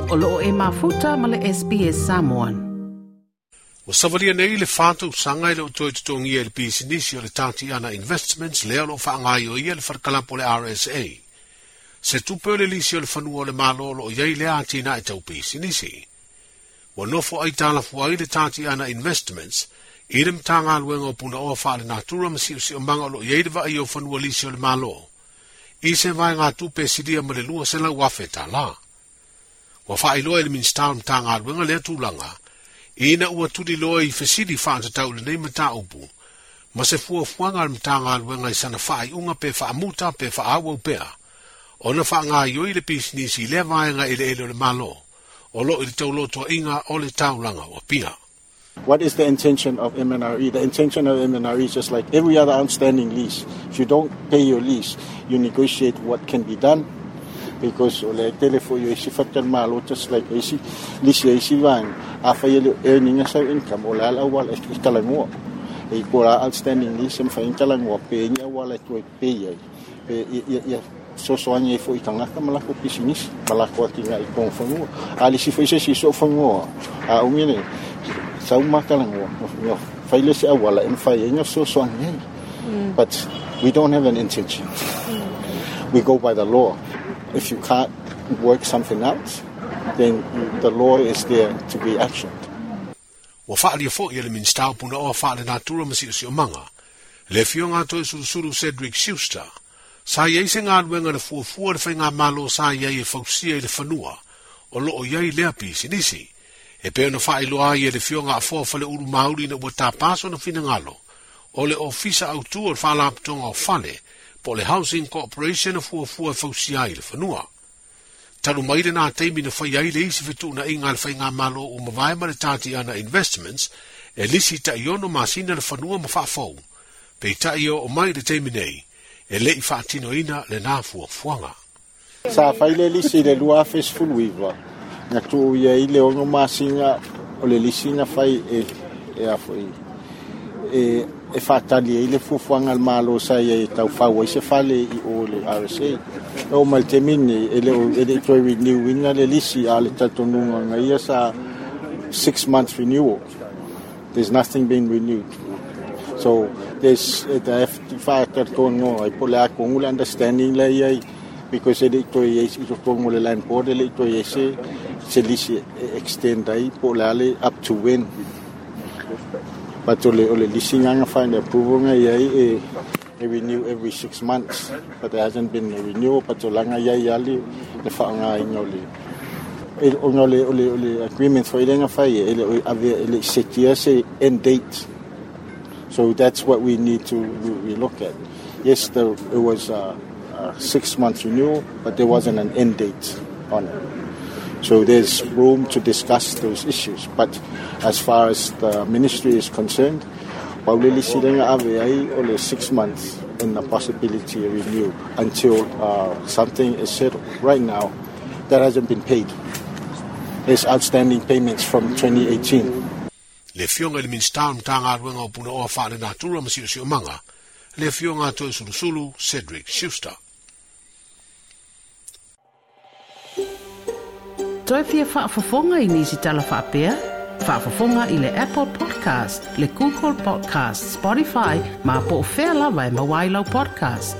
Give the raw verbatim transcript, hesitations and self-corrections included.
O loo e mafuta ma le S B S Samoan. Ua savalia nei le whātau sanga i le o toi tutongia i le pisinisi o le Tatiana Investments lea o lo whaangai ia le wharakalapo le R S A. Se tupe o le lisi o le whanua o le malo lo iai le atina e tau pisinisi. Ua nofo ai talafua ai le Tatiana Investments i le mtanga luenga o puna oa whaale natura ma siu siu manga o lo iai le vai o whanua lisi o le malo. I se vai ngā tupe siria ma le lua se lau afe tā la. Ua whaailoa i le Minista o mtanga luenga lea tūlanga, ina ua tuli loa i fesili whaantatau le nei mataupu, ma se fuafuaga le Matagaluega i sana faaiuga pe faamuta pe faaauau pea, ona faagaioi le pisinisi i lea vaega eleele o le Malo, o loo i le taulotoaiga o le taulaga o Apia. What is the intention of M N R E? The intention of M N R E is just like every other outstanding lease. If you don't pay your lease, you negotiate what can be done. Because o le tele fo yo isi fatal malo just like isi lisi isi van afa ye earning as income o la la wala e talangua e ko la outstanding lease em fa talangua pe nya wala to pe ye pe ye so so anye fo itanga ka mala ko business mala ko tinga i kon fangu ali si fo isi so fangu a umine sa uma talangua no fa ile se wala em fa ye so so anye. But we don't have an intention. We go by the law. If you can't work something out, then the law is there to be actioned. Ua whaalia fo ia le Minista o Puna Oa Whaale Natura ma Siosio Manga, le fionga toi sulusulu Cedric Schuster, sa iai se ngā luenga le fuafua le whainga malo sa iai e fausia i le whanua, o loo iai lea pisinisi. E peo na whaailoa ai e le fionga afoa whale uru mauri na ua tāpaso na whinangalo, o le ofisa autu o le whaalaputonga o whale, po le Housing Corporation fuafua e fausia i le whanua. Talu mai le nā teimi na whai ai le isi whituna i ngā le whai ngā malo o mavae ma le Tatiana Investments e lisi ta iono masina le whanua ma whaafau. Pe tai o mai le teimi nei e le i whaatino ina le nā fuafuanga. Sa whai le lisi le lua afes fuluiva. Ngā tū ia i le ono masinga o le lisi na whai e, e afo i. E, e whaatali e le fuafuaga le malo sa ia e taufau ai se fale i o le R S A. O mai te mini e le e le toe renew ina le lisi a le tatonuga nga ia sa six months renewal. There's nothing been renewed. So there's the whaatatonuga ai po le akongu le understanding le ia because e le toe i totongu le land board e le toe se se lisi extend ai po le ale up to when. But ole ole leasing anga find approval nga ia e e renew every six months, but there hasn't been a renewal. But olanga ia ia le le whaanga inga ole e ole ole ole agreement for ilenga fai e le ave le set year se end date. So that's what we need to we look at. Yes, there it was a, a six month renewal, but there wasn't an end date on it. So there's room to discuss those issues. But as far as the ministry is concerned, Paulili Sirenga Ave ai ole six months in the possibility of renew until uh, something is settled. Right now, that hasn't been paid. There's outstanding payments from twenty eighteen. Le fionga le Minista o Mtanga Ruenga o Puna Oa Whaale Natura ma Siosio Manga, le fionga toi Sulusulu Cedric Schuster. Toi fia faafofoga i nisi tala faapea? Faafofoga i le Apple Podcast, le Google Podcast, Spotify, ma po o fea lava e maua ai lau podcast.